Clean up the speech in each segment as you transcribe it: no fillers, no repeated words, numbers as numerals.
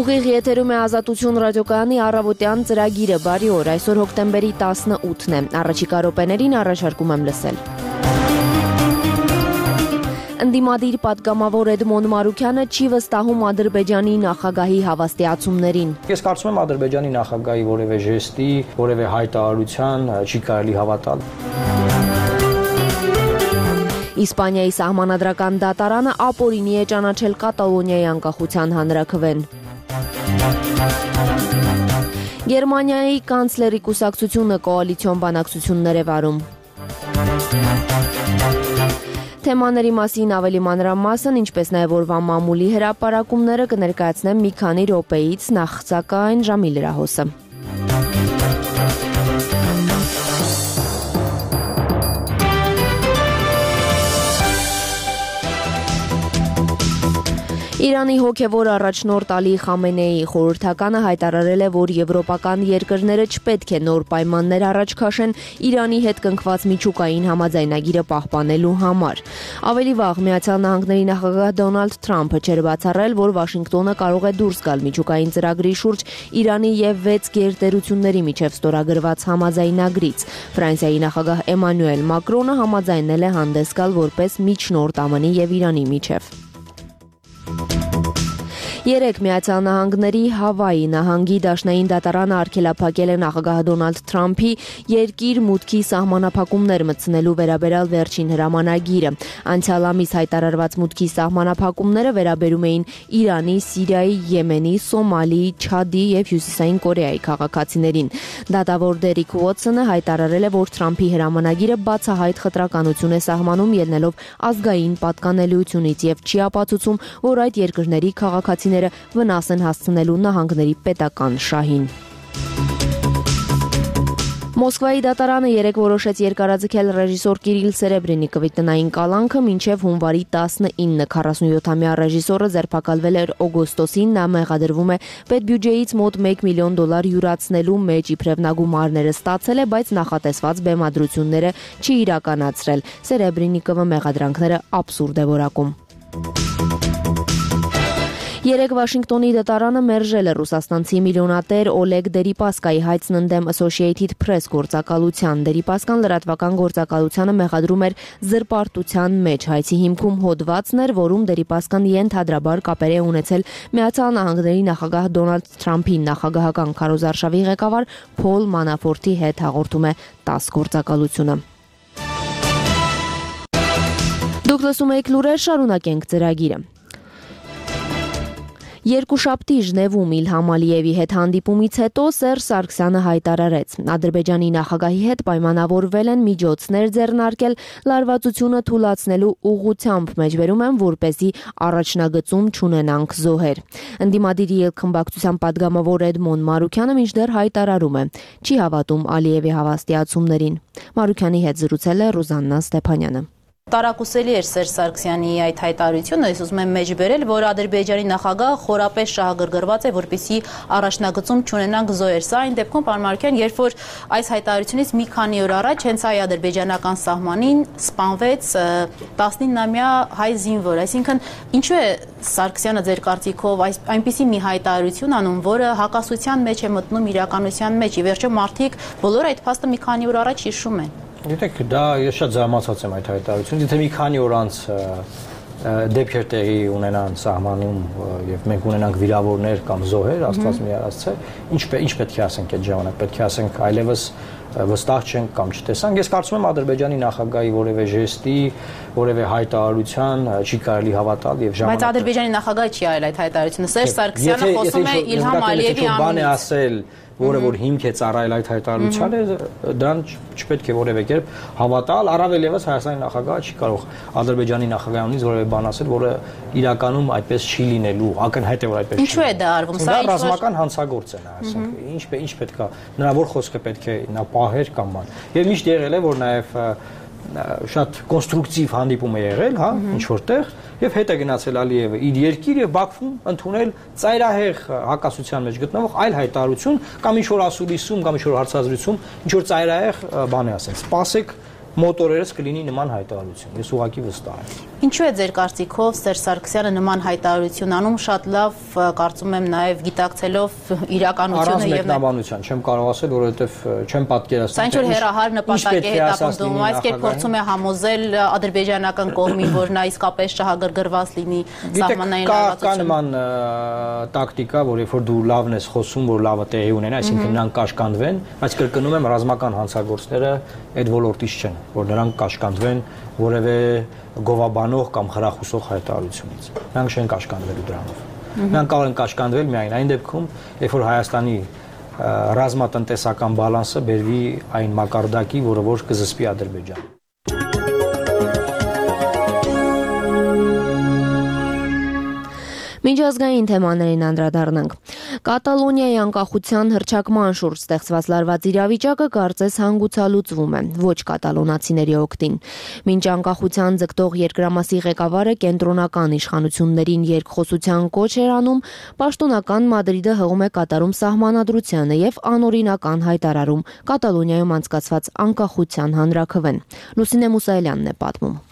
Ուղիղ եթերում է Ազատություն ռադիոկայանի առավոտյան ծրագիրը, բարի օր, այսօր հոկտեմբերի 18-ն է, առաջիկա րոպեներին առաջարկում եմ լսել։ Ընդդիմադիր պատգամավոր Էդմոն Մարուքյանը չի վստահում Ադրբեջանի նախագահի հավաստիացումներին։ Ես կարծում եմ Ադրբեջանի նախագահի որևէ ժեստի, որևէ հայտարարության չի կարելի հավատալ։ Իսպանիայի սահմանադրական դատարանը ապօրինի է ճանաչել Կատալոնիայի անկախության հանրաքվեն։ Գերմանիայի կանցլերի կուսակցությունը կոալիցիոն բանակցություններ է վարում։ Թեմաների մասին ավելի մանրամասն, ինչպես նաև օրվա մամուլի հրապարակումները կներկայացնեմ մի քանի րոպեից, նախ սակայն ժամի լրահոսը։ Իրանի հոգևոր առաջնորդ Ալի Խամենեիի խորհրդականը հայտարարել է, որ եվրոպական երկրները չպետք է նոր պայմաններ առաջ քաշեն Իրանի հետ կնքված միջուկային համաձայնագիրը պահպանելու համար։ Ավելի վաղ Միացյալ Նահանգների նախագահ Դոնալդ Թրամփը չէր բացառել, որ Վաշինգտոնը կարող է դուրս գալ միջուկային ծրագրի շուրջ Իրանի եւ 6 գերտերությունների միջև ստորագրված համաձայնագրից։ Ֆրանսիայի նախագահ Էմանուել Մակրոնը համաձայնել է հանդես գալ որպես միջնորդ ԱՄՆ-ի եւ Իրանի միջև։ Երեկ Միացյալ Նահանգների Հավայի նահանգի դաշնային դատարանը արգելափակել է նախագահ Դոնալդ Թրամփի երկիր մուտքի սահմանափակումներ մտցնելու վերաբերյալ վերջին հրամանագիրը։ Անցյալ ամիս հայտարարված մուտքի սահմանափակումները վերաբերում էին Իրանի, Սիրիայի, Եմենի, Սոմալիի, Չադի եւ Հյուսիսային Կորեայի քաղաքացիներին։ Դատավոր Դերիկ Ուոթսոնը հայտարարել է, որ Թրամփի հրամանագիրը բացահայտ խտրականություն է սահմանում ելնելով ազգային պատկանելիությունից եւ չի ապացուցում, որ այդ երկրների քաղաքացիները վնաս են հասցնելու նահանգների պետական շահին։ Մոսկվայի դատարանը երեկ որոշեց երկարաձգել ռեժիսոր Կիրիլ Սերեբրենիկովի տնային կալանքը մինչև հունվարի 19, 47-ամյա ռեժիսորը ձերբակալվել էր օգոստոսին, նա մեղադրվում է պետբյուջեից մոտ $1 միլիոն յուրացնելու մեջ, իբրև նա գումարները ստացել է, բայց նախատեսված բեմադրությունները չի իրականացրել։ Սերեբրենիկովը մեղադրանքները աբսուրդ է որակում։ Երեկ Վաշինգտոնի դատարանը մերժել է ռուսաստանցի միլիոնատեր Օլեգ Դերիպասկայի հայցն ընդդեմ Associated Press գործակալության։ Դերիպասկան լրատվական գործակալությանը մեղադրում էր զրպարտության մեջ։ Հայցի հիմքում հոդվածն էր, որում Դերիպասկան ենթադրաբար կապեր է ունեցել Միացյալ Նահանգների նախագահ Դոնալդ Թրամփի նախագահական քարոզարշավի ղեկավար Փոլ Մանաֆորտի հետ, հաղորդում է ՏԱՍՍ գործակալությունը։ Դուք լսում եք լուրեր, շարունակենք ծրագիրը։ Երկուշաբթի Ժնևում Իլհամ Ալիևի հետ հանդիպումից հետո Սերժ Սարգսյանը հայտարարեց. Ադրբեջանի նախագահի հետ պայմանավորվել են միջոցներ ձեռնարկել լարվածությունը թուլացնելու ուղղությամբ, մեջբերում են, որպեսզի առաջնագծում չունենանք զոհեր։ Ընդդիմադիր ելքխմբակցության պատգամավոր Էդմոն Մարուքյանը մինչդեռ հայտարարում է, չի հավատում Ալիևի հավաստիացումներին։ Մարուքյանի հետ զրուցել է Ռուզաննա Ստեփանյանը։ Տարակուսելի էր Սերժ Սարգսյանի այդ հայտարարությունը, ես ուզում եմ մեջբերել, որ Ադրբեջանի նախագահը խորապես շահագրգռված է, որպեսզի առաջնագծում չունենանք զոհեր։ Սա այն դեպքում, պարոն Մարուքյան, երբ որ այս հայտարարությունից մի քանի օր առաջ հենց այ ադրբեջանական սահմանին սպանվեց 19-ամյա հայ զինվոր, այսինքն ինչու է Սարգսյանը ձեր կարծիքով այնպիսի մի հայտարարություն անում, որը հակասության մեջ է մտնում իրականության մեջ, ի վերջո մարդիկ բոլոր այդ փաստը մի քանի օր առաջ հիշում են։ Գիտեք, դա ես շատ զարմացած եմ այդ հայտարարությունից, եթե մի քանի օր անց դեպքեր տեղի ունենան սահմանում եւ մենք ունենանք վիրավորներ կամ զոհեր, Աստված մի արածցե, ինչ պետք է ասենք այդ ժամանակ, պետք է ասենք այլևս վստահ չենք կամ չտեսանք։ Ես կարծում եմ Ադրբեջանի նախագահի որևէ ժեստի, որևէ հայտարարության չի կարելի հավատալ եւ ժամանակ։ Բայց Ադրբեջանի նախագահը չի արել այդ հայտարարությունը։ Սերժ Սարգսյանը խոսում է Իլհամ Ալիևի անունից։ Որը որ հիմք է ծառայել այդ հայտարարությանը, դրան չպետք է որևէ կերպ հավատալ, առավել եւս Հայաստանի նախագահը չի կարող Ադրբեջանի նախագահանից որևէ բան ասել, որը իրականում այդպես չի լինելու, ակնհայտ է որ այդպես չի։ Ինչու է դա արվում։ Սա ռազմական հանցագործ է նա, ասենք, ինչ պետք է, նրա որ խոսքը պետք է նա պահեր կամ բան։ Եվ միշտ եղել է, որ նաեւ շատ կոնստրուկտիվ հանդիպում է եղել, հա, ինչ որտեղ, եւ հետ է գնացել Ալիևը իր երկիր եւ Բաքվում ընդունել ծայրահեղ հակասության մեջ գտնվող այլ հայտարարություն կամ ինչ որ ասուլիսում կամ ինչ որ հարցազրույցում ինչ որ ծայրահեղ բան է ասել։ Սպասեք մոտորերս կլինի նման հայտարարություն։ Ես ուղղակի վստահ եմ։ Ինչու է ձեր կարծիքով Սերժ Սարգսյանը նման հայտարարություն անում, շատ լավ կարծում եմ նաև գիտակցելով իրականությունը եւ մեկնաբանության չեմ կարող ասել, որովհետեւ չեմ պատկերացնում։ Սա ինչ-որ հեռահար նպատակ է հետապնդում, այս կերպ փորձում է համոզել ադրբեջանական կողմին, որ նա իսկապես շահագրգռված լինի սահմանային լարվածություն։ Կա նման տակտիկա, որ երբ որ դու լավն ես խոսում, որ լավը տեղի ունենա, այսինքն նրանք կաշկանդվեն, բայց կրկնում եմ, ռազմական հանցագործները այդ ոլորտից չեն, որ նրանք կաշկանդվեն որևէ գովաբանող կամ խրախուսող հայտարարությունից։ Նրանք չեն կաշկանդվելու դրանով։ Նրանք կարող են կաշկանդվել միայն այն դեպքում, երբ որ Հայաստանի ռազմատնտեսական բալանսը բերվի այն մակարդակի, որը որ կզսպի Ադրբեջանը։ Միջազգային թեմաներին անդրադառնանք։ Կատալոնիայի անկախության հռչակման շուրջ ստեղծված լարված իրավիճակը կարծես հանգուցալուծվում է, ոչ կատալոնացիների օգտին։ Մինչ անկախության ձգտող երկրամասի ղեկավարը կենտրոնական իշխանություններին երկխոսության կոչ էր անում, պաշտոնական Մադրիդը հղում է կատարում սահմանադրությանը եւ անօրինական հայտարարում Կատալոնիայում անցկացված անկախության հանրաքվեն։ Լուսինե Մուսայելյանն է պատմում։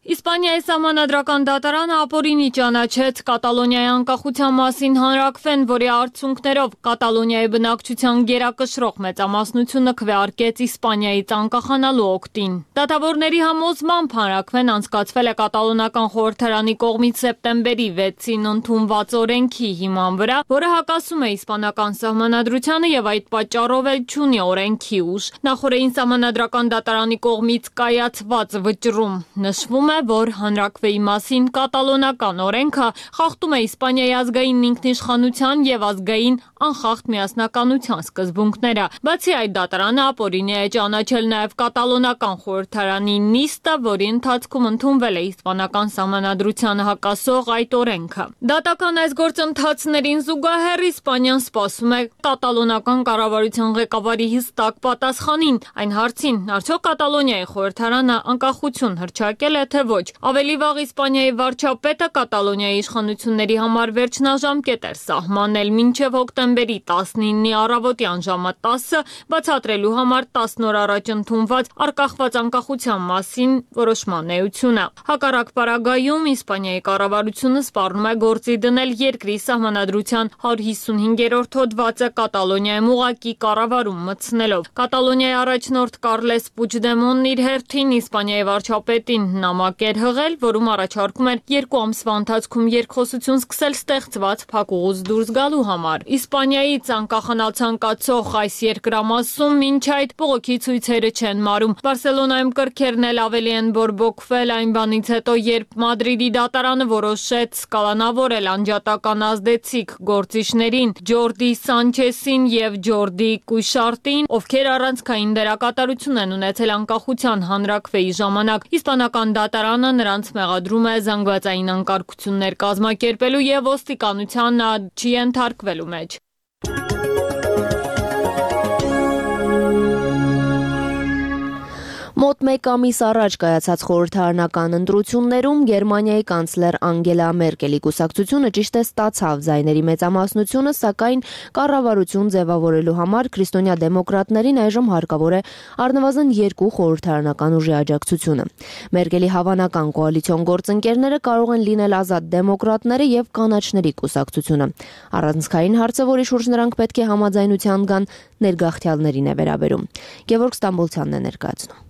Իսպանիայի սահմանադրական դատարանը ապօրինի ճանաչեց Կատալոնիայի անկախության մասին հանրաքվեն, որի արդյունքներով Կատալոնիայի բնակչության գերակշռող մեծամասնությունը քվեարկեց Իսպանիայից անկախանալու օգտին։ Դատավորների համոզմամբ հանրաքվեն անցկացվել է կատալոնական խորհրդարանի կողմից սեպտեմբերի 6-ին ընդունված օրենքի հիման վրա, որը հակասում է իսպանական սահմանադրությանը եւ այդ պատճառով էլ չունի օրենքի ուժ։ Նախորդին սահմանադրական դատարանի կողմից կայացված վճռում նշվում է, որ հանրաքվեի մասին կատալոնական օրենքը խախտում է Իսպանիայի ազգային ինքնիշխանության եւ ազգային անխախտ միասնականության սկզբունքները։ Բացի այդ, դատարանը ապօրինի է ճանաչել նաեւ կատալոնական խորհրդարանի նիստը, որի ընթացքում ընդունվել է իսպանական սահմանադրությանը հակասող այդ օրենքը։ Դատական այս գործընթացներին զուգահեռ Իսպանիան սպասում է կատալոնական կառավարության ղեկավարի հստակ պատասխանին այն հարցին, արդյոք Կատալոնիայի խորհրդարանը անկախություն հռչակել է թե ոչ։ Ավելի վաղ Իսպանիայի վարչապետը Կատալոնիայի իշխանությունների համար վերջնաժամկետ էր սահմանել մինչև հոկտեմբերի 19-ի առավոտյան ժամը 10-ը բացատրելու համար 10 օր առաջ ընդունված անկախված անկախության մասին որոշման էությունը։ Հակառակ պարագայում Իսպանիայի կառավարությունը սպառնում է գործի դնել երկրի սահմանադրության 155-րդ հոդվածը Կատալոնիայում ուղղակի կառավարում մտցնելով։ Կատալոնիայի առաջնորդ Կարլես Պուչդեմոնն իր հերթին Իսպանիայի վարչապետին նամակ էր հղել, որում առաջարկում էր 2 ամսվա ընթացքում երկխոսություն սկսել ստեղծված փակուղուց դուրս գալու համար։ Իսպանիայից անկախանալ ցանկացող այս երկրամասում մինչ այդ բողոքի ցույցերը չեն մարում։ Բարսելոնայում կրքերն էլ ավելի են բորբոքվել այն բանից հետո, երբ Մադրիդի դատարանը որոշեց կալանավորել անջատական ազդեցիկ գործիչներին Ջորդի Սանչեսին եւ Ջորդի Կուշարտին, ովքեր առանցքային դերակատարություն են ունեցել անկախության հանրաքվեի ժամանակ։ Իսպանական դատարանը նրանց մեղադրում է զանգվածային անկարգություններ կազմակերպելու եւ ոստիկանության չի ենթարկվելու մեջ։ Մոտ մեկ ամիս առաջ կայացած խորհրդարանական ընտրություններում Գերմանիայի կանցլեր Անգելա Մերկելի կուսակցությունը ճիշտ է ստացավ ձայների մեծամասնությունը, սակայն կառավարություն ձևավորելու համար քրիստոնյա դեմոկրատներին այժմ հարկավոր է առնվազն 2 խորհրդարանական ուժի աջակցությունը։ Մերկելի հավանական կոալիցիոն գործընկերները կարող են լինել ազատ դեմոկրատները եւ կանաչների կուսակցությունը։ Առանցքային հարցը, որի շուրջ նրանք պետք է համաձայնության գան, ներգաղթյալներին է վերաբերում։ Գևորգ Ստամբոլցյանն է ներկայացնում։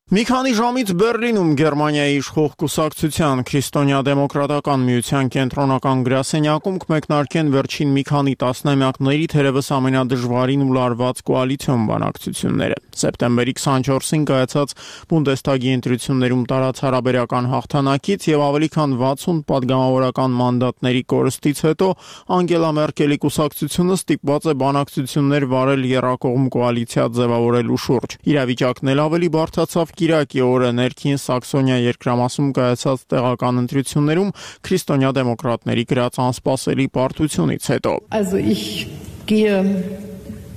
Մի քանի ժամից Բեռլինում Գերմանիայի իշխող կուսակցության քրիստոնյա դեմոկրատական միության կենտրոնական գրասենյակում կմեկնարկեն վերջին մի քանի տասնամյակների թերևս ամենադժվարին ու լարված կոալիցիոն բանակցությունները։ Սեպտեմբերի 24-ին կայացած Բունդեսթագի ընտրություններում տարած հարաբերական հաղթանակից եւ ավելի քան 60 падգամավորական մանդատների կորստից հետո Անգելա Մերկելի կուսակցությունը ստիպված է բանակցություններ վարել եռակողմ կոալիցիա ձևավորելու շուրջ։ Իրավիճակն էլ ավելի բարդացավ Կիրակի օրը ներքին Սաքսոնիա երկրամասում կայացած տեղական ընտրություններում քրիստոնյա դեմոկրատների գրած անսպասելի պարտությունից հետո։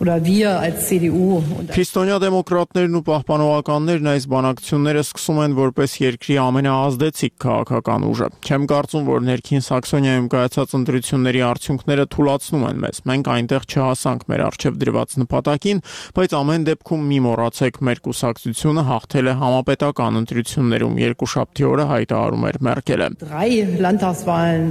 oder wir als CDU. Քրիստոնյա դեմոկրատներն ու պահպանողականներն այս բանակցությունները սկսում են որպես երկրի ամենաազդեցիկ քաղաքական ուժը։ Չեմ կարծում, որ ներքին Սաքսոնիայում կայացած ընտրությունների արդյունքները թուլացնում են մեզ։ Մենք այնտեղ չհասանք մեր առջև դրված նպատակին, բայց ամեն դեպքում մի մոռացեք, մեր կուսակցությունը հաղթել է համապետական ընտրություններում, երկուշաբթի օրը հայտարարում էր Մերկելը։ 3 Landtagswahlen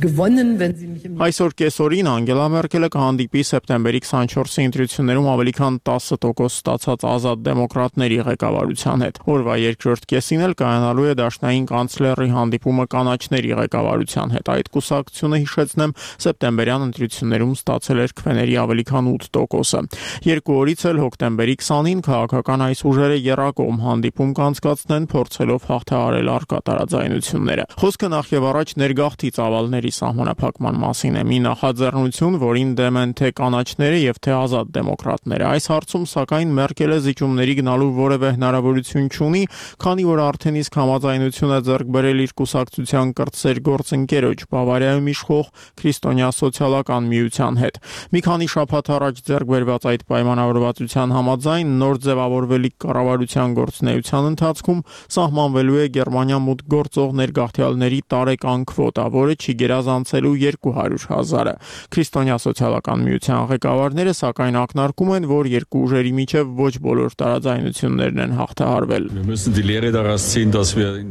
gewonnen, wenn Sie mich Այսօր կեսօրին Անգելա Մերկելը կհանդիպի սեպտեմբերի 24-ի ընտրություններում ավելի քան 10% ստացած ազատ դեմոկրատների ղեկավարության հետ։ Օրվա երկրորդ կեսին էլ կայանալու է դաշնային կանցլերի հանդիպումը կանաչների ղեկավարության հետ։ Այդ կուսակցությունը, հիշեցնեմ, սեպտեմբերյան ընտրություններում ստացել էր քվեների ավելի քան 8%-ը։ Երկու օրից էլ հոկտեմբերի 20-ին քաղաքական այս ուժերը եռակողմ հանդիպում կանցկացնեն, փորձելով հաղթահարել առկա տարաձայնությունները։ Խոսքը նախ եւ առաջ ներգաղթի ծավալների սահմանափակման մասին է, մի նախաձեռնություն, որին դեմ են թե կանաչները եւ թե ազատ դեմոկրատները։ Այս հարցում սակայն Մերկելը զիջումների գնալու որևէ հնարավորություն չունի, քանի որ արդեն իսկ համաձայնություն է ձեռք բերել իր կուսակցության կրտսեր գործընկերոջ Բավարիայում իշխող քրիստոնյա սոցիալական միության հետ։ Մի քանի շաբաթ առաջ ձեռք բերված այդ պայմանավորվածության համաձայն նոր ձևավորվելիք կառավարության գործունեության ընթացքում սահմանվելու է Գերմանիա մուտք գործող ներգաղթյալների տարեկան քվոտա, որը չի գերազանցելու 200,000-ը։ Քրիստոնյա սոցիալական միության ղեկավարները սակայն ակնարկում են, որ երկու ուժերի միջև ոչ բոլոր տարաձայնություններն են հաղթահարվել։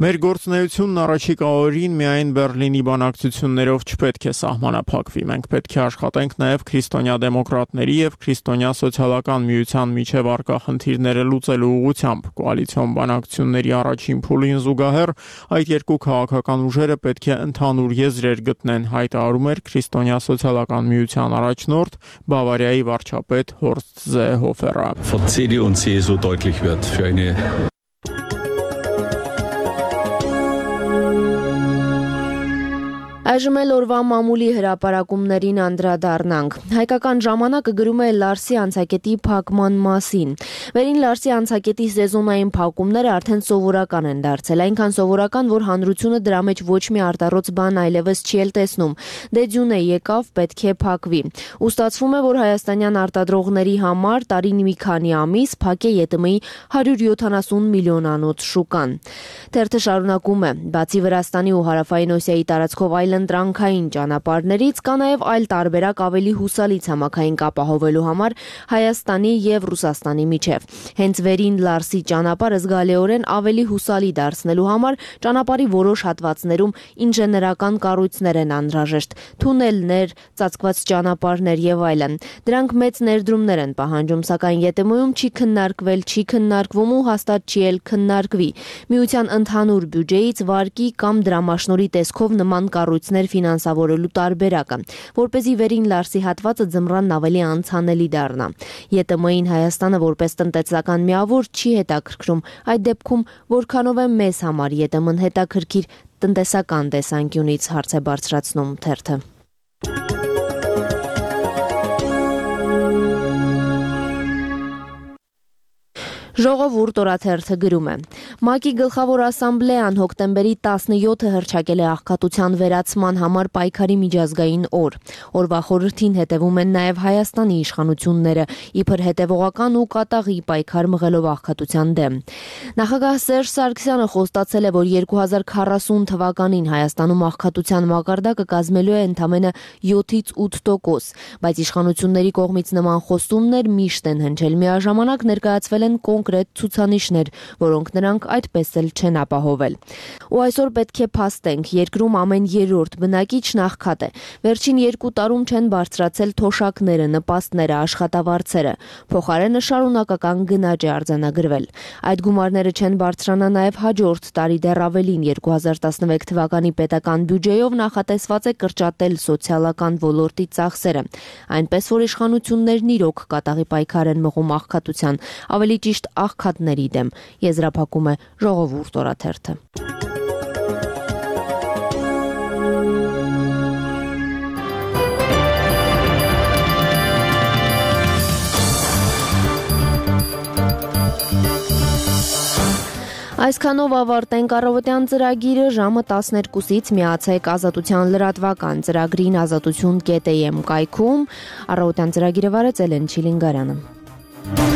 Մեր գործունեությունն առաջիկա օրերին միայն Բեռլինի բանակցություններով չպետք է սահմանափակվի։ Մենք պետք է աշխատենք նաև քրիստոնյա դեմոկրատների եւ քրիստոնյա սոցիալական միության միջև առկա խնդիրները լուծելու ուղղությամբ։ Կոալիցիոն բանակցությունների առաջին փուլին զուգահեռ այդ երկու քաղաքական ուժերը պետք է ընդհանուր եզրեր գտնեն, հայտարարում էր քրիստոնյա սոցիալական միության առաջնորդ Բավարիայի վարչապետ Հորստ Զեհոֆերը։ Von CDU und CSU deutlich wird für eine Այժմ էլ օրվա մամուլի հրապարակումներին անդրադառնանք։ Հայկական ժամանակը գրում է Լարսի անցակետի փակման մասին։ Վերին Լարսի անցակետի սեզոնային փակումները արդեն սովորական են դարձել, այնքան սովորական, որ հանրությունը դրա մեջ ոչ մի արտառոց բան այլևս չի էլ տեսնում։ Դե ձյուն է եկավ, պետք է փակվի։ Ու ստացվում է, որ հայաստանյան արտադրողների համար տարին մի քանի ամիս փակ է ԵՏՄ-ի 170 միլիոնանոց շուկան։ Թերթը շարունակում է. բացի Վրաստանի ու Հարավային Օսիայի տարածքով այլ ընտրանքային ճանապարհներից կա նաև այլ տարբերակ ավելի հուսալի ցամաքային կապ ապահովելու համար Հայաստանի եւ Ռուսաստանի միջև։ Հենց վերին Լարսի ճանապարհը զգալիորեն ավելի հուսալի դարձնելու համար ճանապարհի որոշ հատվածներում ինժեներական կառույցներ են անհրաժեշտ, թունելներ, ծածկված ճանապարհներ եւ այլն։ Դրանք մեծ ներդրումներ են պահանջում, սակայն ԵՏՄ-ում չի քննարկվում ու հաստատ չի էլ քննարկվի։ Միության ընդհանուր բյուջեից վարկի կամ դրամաշնորհի տեսքով նման կառույցներ ֆինանսավորելու տարբերակը, որպեսզի վերին Լարսի հատվածը ձմռանն ավելի անցանելի դառնա։ ԵՏՄ-ին Հայաստանը որպես տնտեսական միավոր չի հետաքրքրում, այդ դեպքում որքանով է մեզ համար ԵՏՄ-ն հետաքրքիր տնտեսական տեսանկյունից, հարց է բարձրացնում թերթը։ Ժողովուրդ օրաթերթը գրում է. ՄԱԿ-ի գլխավոր ասամբլեան հոկտեմբերի 17-ը հռչակել է աղքատության վերացման համար պայքարի միջազգային օր։ Օրվա խորհրդին հետևում են նաև Հայաստանի իշխանությունները, իբր հետևողական ու կատաղի պայքար մղելով աղքատության դեմ։ Նախագահ Սերժ Սարգսյանը խոստացել է, որ 2040 թվականին Հայաստանում աղքատության մակարդակը կազմելու է ընդամենը 7-ից 8%, բայց իշխանությունների կողմից նման խոստումներ միշտ են հնչել, միաժամանակ ներկայացվել են կոնկրետ ցուցանիշներ, որոնք նրանք այդպես էլ չեն ապահովել։ Ու այսօր պետք է փաստենք, երկրում ամեն երրորդ բնակիչ նախքատ է։ Վերջին 2 տարում չեն բարձրացել թոշակները, նպաստները, աշխատավարձերը։ Փոխարենը շարունակական գնաճ է արձանագրվել։ Այդ գումարները չեն բարձրանա նաև հաջորդ տարի դեռ ավելին 2016 թվականի պետական բյուջեով նախատեսված է կրճատել սոցիալական ոլորտի ծախսերը։ Այնպես որ իշխանություններն իրոք կատաղի պայքար են մղում աղքատության, ավելի ճիշտ աղքատների դեմ, եզրափակում է Ժողովուրդ օրաթերթը։ Այսքանով ավարտենք առավոտյան ծրագիրը, ժամը 12-ից միացեք Ազատության լրատվական ծրագրին azatutun.am կայքում։ Առավոտյան ծրագիրը վարեց Էլեն Չիլինգարյանը։